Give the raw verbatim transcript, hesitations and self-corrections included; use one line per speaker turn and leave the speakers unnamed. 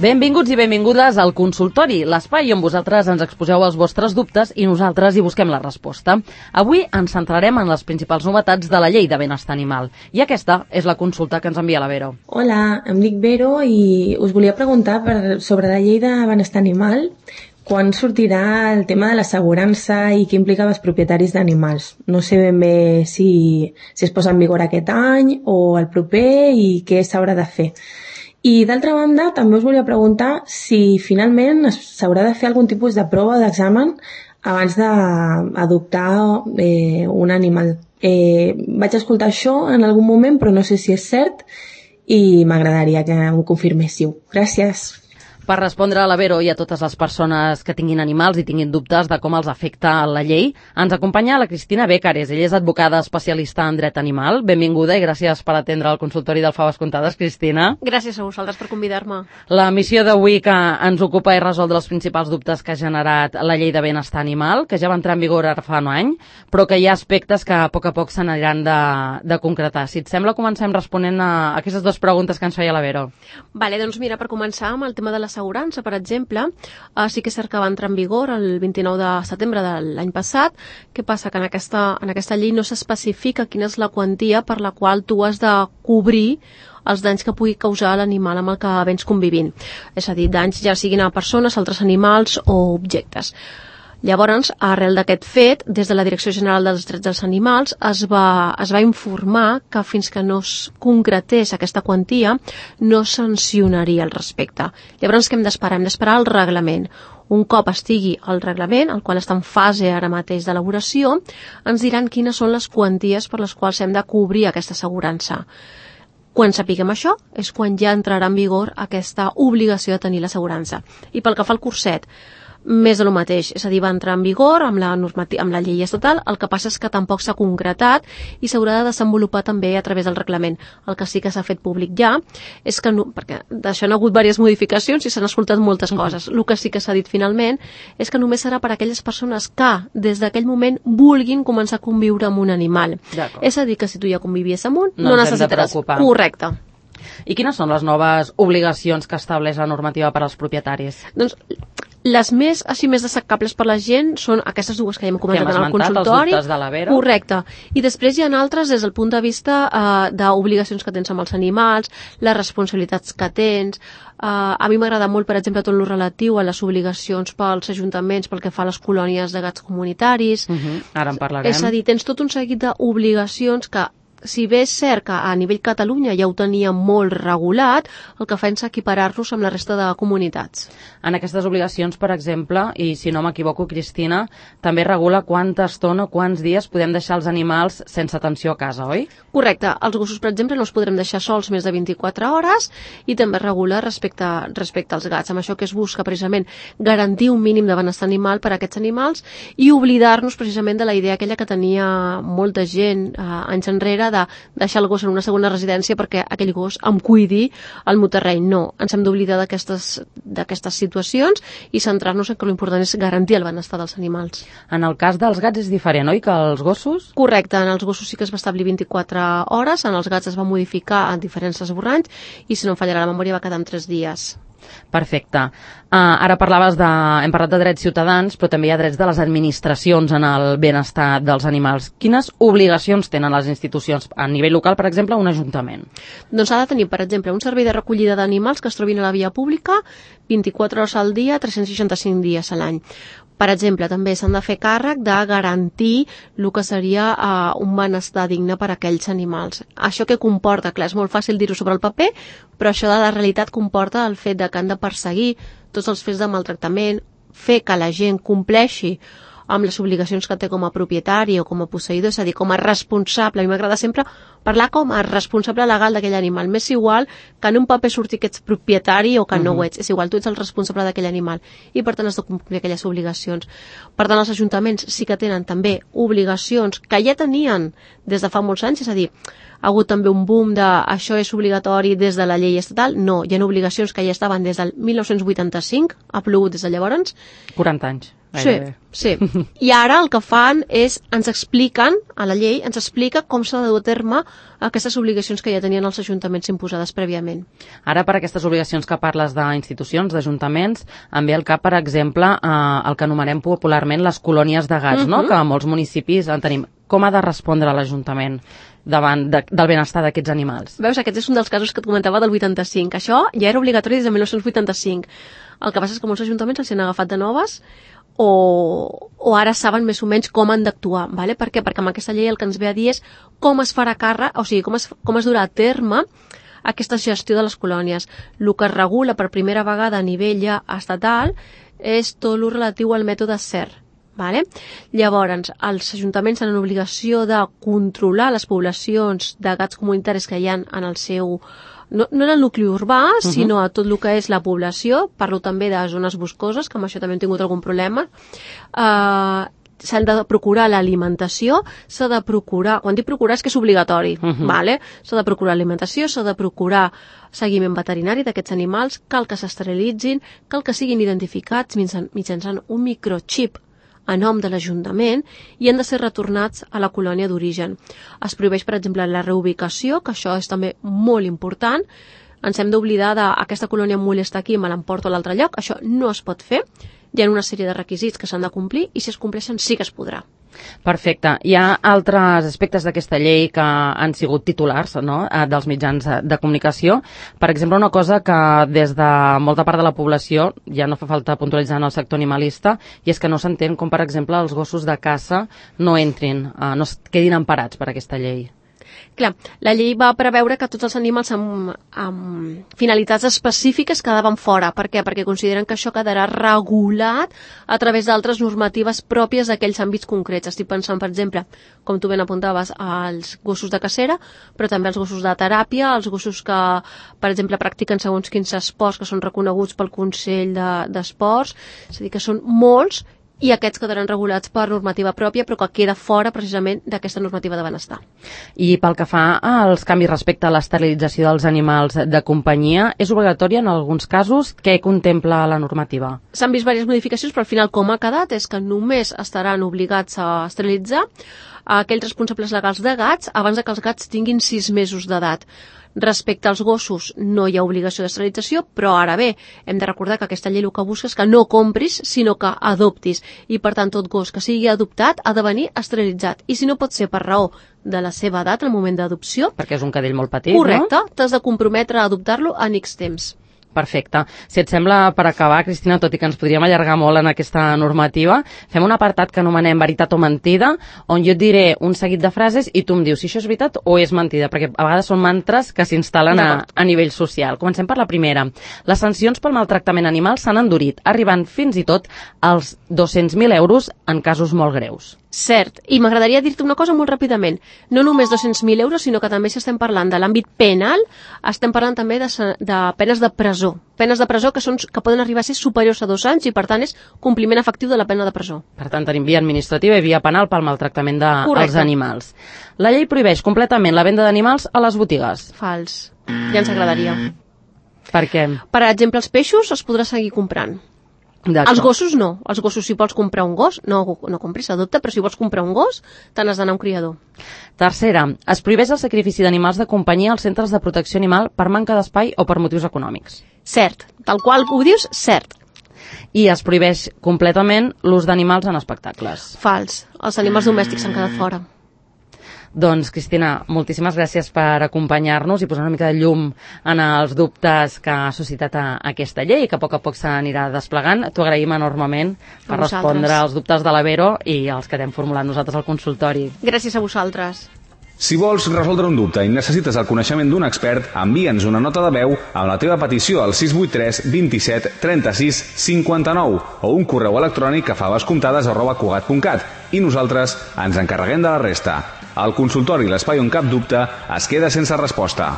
Benvinguts i benvingudes al consultori, l'espai on vosaltres ens exposeu els vostres dubtes i nosaltres hi busquem la resposta. Avui ens centrarem en les principals novetats de la llei de benestar animal. I aquesta és la consulta que ens envia la Vero.
Hola, em dic Vero i us volia preguntar per, sobre la llei de benestar animal. Quan sortirà el tema de l'assegurança i què implica els propietaris d'animals? No sé ben bé si, si es posa en vigor aquest any o el proper i què s'haurà de fer. I d'altra banda, també us volia preguntar si finalment s'haurà de fer algun tipus de prova d'examen abans d'adoptar eh, un animal. Eh, vaig escoltar això en algun moment, però no sé si és cert i m'agradaria que m'ho confirméssiu. Gràcies.
Per respondre a la Vero i a totes les persones que tinguin animals i tinguin dubtes de com els afecta la llei, ens acompanya la Cristina Bécares. Ella és advocada especialista en dret animal. Benvinguda i gràcies per atendre el consultori del Faves Contades, Cristina.
Gràcies a vosaltres per convidar-me.
La missió d'avui que ens ocupa és resoldre els principals dubtes que ha generat la llei de benestar animal, que ja va entrar en vigor ara fa un any, però que hi ha aspectes que a poc a poc s'aniran de, de concretar. Si et sembla, comencem responent a aquestes dues preguntes que ens feia la Vero.
Vale, doncs mira, per començar amb el tema de la assegurança, per exemple, eh, sí que és cert que va entrar en vigor el vint-i-nou de setembre de l'any passat. Què passa? Que en aquesta, en aquesta llei no s'especifica quina és la quantia per la qual tu has de cobrir els danys que pugui causar l'animal amb el que vens convivint. És a dir, danys ja siguin a persones, altres animals o objectes. Llavors, arrel d'aquest fet, des de la Direcció General dels Drets dels Animals es va, es va informar que fins que no es concretés aquesta quantia no sancionaria al respecte. Llavors, què hem d'esperar? Hem d'esperar el reglament. Un cop estigui el reglament, el qual està en fase ara mateix d'elaboració, ens diran quines són les quanties per les quals hem de cobrir aquesta assegurança. Quan sapiguem això, és quan ja entrarà en vigor aquesta obligació de tenir l'assegurança. I pel que fa al curset, més de lo mateix, és a dir, va entrar en vigor amb la, amb la llei estatal, el que passa és que tampoc s'ha concretat i s'haurà de desenvolupar també a través del reglament. El que sí que s'ha fet públic ja és que, no, perquè d'això han hagut diverses modificacions i s'han escoltat moltes coses. El que sí que s'ha dit finalment és que només serà per a aquelles persones que des d'aquell moment vulguin començar a conviure amb un animal. És a dir, que si tu ja convivies amb un, no, no necessitaràs. Correcte.
I quines són les noves obligacions que estableix la normativa per als propietaris?
Doncs les més, així, més destacables per la gent són aquestes dues que ja hem comentat en el consultori.
Els dubtes de la Vero.
Correcte. I després hi ha altres des del punt de vista eh, d'obligacions que tens amb els animals, les responsabilitats que tens. Eh, a mi m'agrada molt, per exemple, tot el relatiu a les obligacions pels ajuntaments pel que fa a les colònies de gats comunitaris.
Uh-huh. Ara en parlarem.
És a dir, tens tot un seguit d'obligacions que, si bé és cert que a nivell Catalunya ja ho teníem molt regulat, el que fa és equiparar-nos amb la resta de comunitats.
En aquestes obligacions, per exemple, i si no m'equivoco, Cristina, també regula quanta estona o quants dies podem deixar els animals sense atenció a casa, oi?
Correcte. Els gossos, per exemple, no els podrem deixar sols més de vint-i-quatre hores i també regula respecte, respecte als gats. Amb això que es busca precisament garantir un mínim de benestar animal per a aquests animals i oblidar-nos precisament de la idea aquella que tenia molta gent eh, anys enrere de deixar el gos en una segona residència perquè aquell gos em cuidi el meu terreny. No, ens hem d'oblidar d'aquestes d'aquestes situacions i centrar-nos en que l'important és garantir el benestar dels animals.
En el cas dels gats és diferent, oi, que els gossos?
Correcte, en els gossos sí que es va establir vint-i-quatre hores, en els gats es va modificar en diferents esborranys i, si no em fallarà la memòria, va quedar en tres dies.
Perfecte. Uh, ara parlaves de... Hem parlat de drets ciutadans, però també hi ha drets de les administracions en el benestar dels animals. Quines obligacions tenen les institucions a nivell local, per exemple, un ajuntament?
Doncs ha de tenir, per exemple, un servei de recollida d'animals que es trobin a la via pública vint-i-quatre hores al dia, tres-cents seixanta-cinc dies a l'any. Per exemple, també s'han de fer càrrec de garantir el que seria uh, un benestar digne per a aquells animals. Això què comporta? Clar, és molt fàcil dir-ho sobre el paper, però això de la realitat comporta el fet de que han de perseguir tots els fets de maltractament, fer que la gent compleixi amb les obligacions que té com a propietari o com a posseïdor, és a dir, com a responsable. A mi m'agrada sempre parlar com a responsable legal d'aquell animal. M'és igual que en un paper surti que ets propietari o que no ho ets. És igual, tu ets el responsable d'aquell animal i per tant has de complir aquelles obligacions. Per tant, els ajuntaments sí que tenen també obligacions que ja tenien des de fa molts anys, és a dir, ha hagut també un boom de això és obligatori des de la llei estatal. No, hi ha obligacions que ja estaven des del mil nou-cents vuitanta-cinc, ha plogut des de llavors.
quaranta anys.
Sí, sí. I ara el que fan és, ens expliquen, a la llei, ens explica com s'ha de dur a terme aquestes obligacions que ja tenien els ajuntaments imposades prèviament.
Ara, per aquestes obligacions que parles d'institucions, d'ajuntaments, em ve al cap, per exemple, eh, el que anomenem popularment les colònies de gats, uh-huh. no? Que a molts municipis en tenim. Com ha de respondre l'Ajuntament davant de, del benestar d'aquests animals?
Veus, aquest és un dels casos que et comentava del vuitanta-cinc. Això ja era obligatori des de mil nou-cents vuitanta-cinc. El que passa és que molts ajuntaments els han agafat de noves o, o ara saben més o menys com han d'actuar. ¿Vale? Per què? Perquè amb aquesta llei el que ens ve a dir és com es farà càrrec, o sigui, com es, com es durà a terme aquesta gestió de les colònies. El que es regula per primera vegada a nivell ja estatal és tot el relatiu al mètode C E R. Vale? Llavors, els ajuntaments tenen obligació de controlar les poblacions de gats comunitaris que hi ha en el seu... No, no en el nucli urbà, uh-huh. sinó a tot el que és la població. Parlo també de zones boscoses, que amb això també hem tingut algun problema. Uh, s'han de procurar l'alimentació, s'ha de procurar... Quan dic procurar és que és obligatori, uh-huh. vale? S'ha de procurar alimentació, s'ha de procurar seguiment veterinari d'aquests animals, cal que s'esterilitzin, cal que siguin identificats mitjançant un microxip a nom de l'Ajuntament i han de ser retornats a la colònia d'origen. Es prohibeix, per exemple, la reubicació, que això és també molt important. Ens hem d'oblidar d'aquesta colònia em molesta aquí, me l'emporto a l'altre lloc. Això no es pot fer. Hi ha una sèrie de requisits que s'han de complir i si es compleixen sí que es podrà.
Perfecte. Hi ha altres aspectes d'aquesta llei que han sigut titulars, no?, dels mitjans de comunicació. Per exemple, una cosa que des de molta part de la població, ja no fa falta puntualitzar en el sector animalista, i és que no s'entén com, per exemple, els gossos de caça no entrin, no es quedin emparats per aquesta llei.
Clar, la llei va preveure que tots els animals amb, amb finalitats específiques quedaven fora. Per què? Perquè consideren que això quedarà regulat a través d'altres normatives pròpies d'aquells àmbits concrets. Estic pensant, per exemple, com tu ben apuntaves, als gossos de cacera, però també als gossos de teràpia, als gossos que, per exemple, practiquen segons quins esports que són reconeguts pel Consell de, d'Esports. És a dir, que són molts i aquests quedaran regulats per normativa pròpia, però que queda fora precisament d'aquesta normativa de benestar.
I pel que fa als canvis respecte a l'esterilització dels animals de companyia, és obligatòria en alguns casos? Què contempla la normativa?
S'han vist diverses modificacions, però al final com ha quedat és que només estaran obligats a esterilitzar aquells responsables legals de gats abans que els gats tinguin sis mesos d'edat. Respecte als gossos no hi ha obligació d'esterilització, però ara bé, hem de recordar que aquesta llei el que busca és que no compris, sinó que adoptis. I per tant, tot gos que sigui adoptat ha de venir esterilitzat. I si no pot ser per raó de la seva edat en el moment d'adopció...
Perquè és un cadell molt petit,
correcte,
no?
T'has de comprometre a adoptar-lo en X temps.
Perfecte. Si et sembla, per acabar, Cristina, tot i que ens podríem allargar molt en aquesta normativa, fem un apartat que anomenem veritat o mentida, on jo et diré un seguit de frases i tu em dius si això és veritat o és mentida, perquè a vegades són mantres que s'instal·len a, a nivell social. Comencem per la primera. Les sancions pel maltractament animal s'han endurit, arribant fins i tot als dos-cents mil euros en casos molt greus.
Cert, i m'agradaria dir-te una cosa molt ràpidament. No només dos-cents mil euros, sinó que també si estem parlant de l'àmbit penal, estem parlant també de, de penes de presó. Penes de presó que, són, que poden arribar a ser superiors a dos anys i, per tant, és compliment efectiu de la pena de presó.
Per tant, tenim via administrativa i via penal pel maltractament dels animals. La llei prohibeix completament la venda d'animals a les botigues.
Fals. Ja ens agradaria.
Per què?
Per exemple, els peixos els podràs seguir comprant. Els gossos no. Els gossos, si vols comprar un gos, no, no compris, adopta, però si vols comprar un gos, te n'has d'anar a un criador.
Tercera, es prohibeix el sacrifici d'animals de companyia als centres de protecció animal per manca d'espai o per motius econòmics.
Cert. Tal qual ho dius, cert.
I es prohibeix completament l'ús d'animals en espectacles.
Fals. Els animals domèstics s'han quedat fora.
Doncs, Cristina, moltíssimes gràcies per acompanyar-nos i posar una mica de llum en els dubtes que ha suscitat a aquesta llei, que a poc a poc s'anirà desplegant. T'ho agraïm enormement per respondre als dubtes de la Vero i els que t'hem formulat nosaltres al consultori.
Gràcies a vosaltres.
Si vols resoldre un dubte i necessites el coneixement d'un expert, envia'ns una nota de veu amb la teva petició al sis vuit tres vint-i-set trenta-sis cinquanta-nou o un correu electrònic a favascomptades arroba cugat punt cat i nosaltres ens encarreguem de la resta. El consultori, l'espai on cap dubte, es queda sense resposta.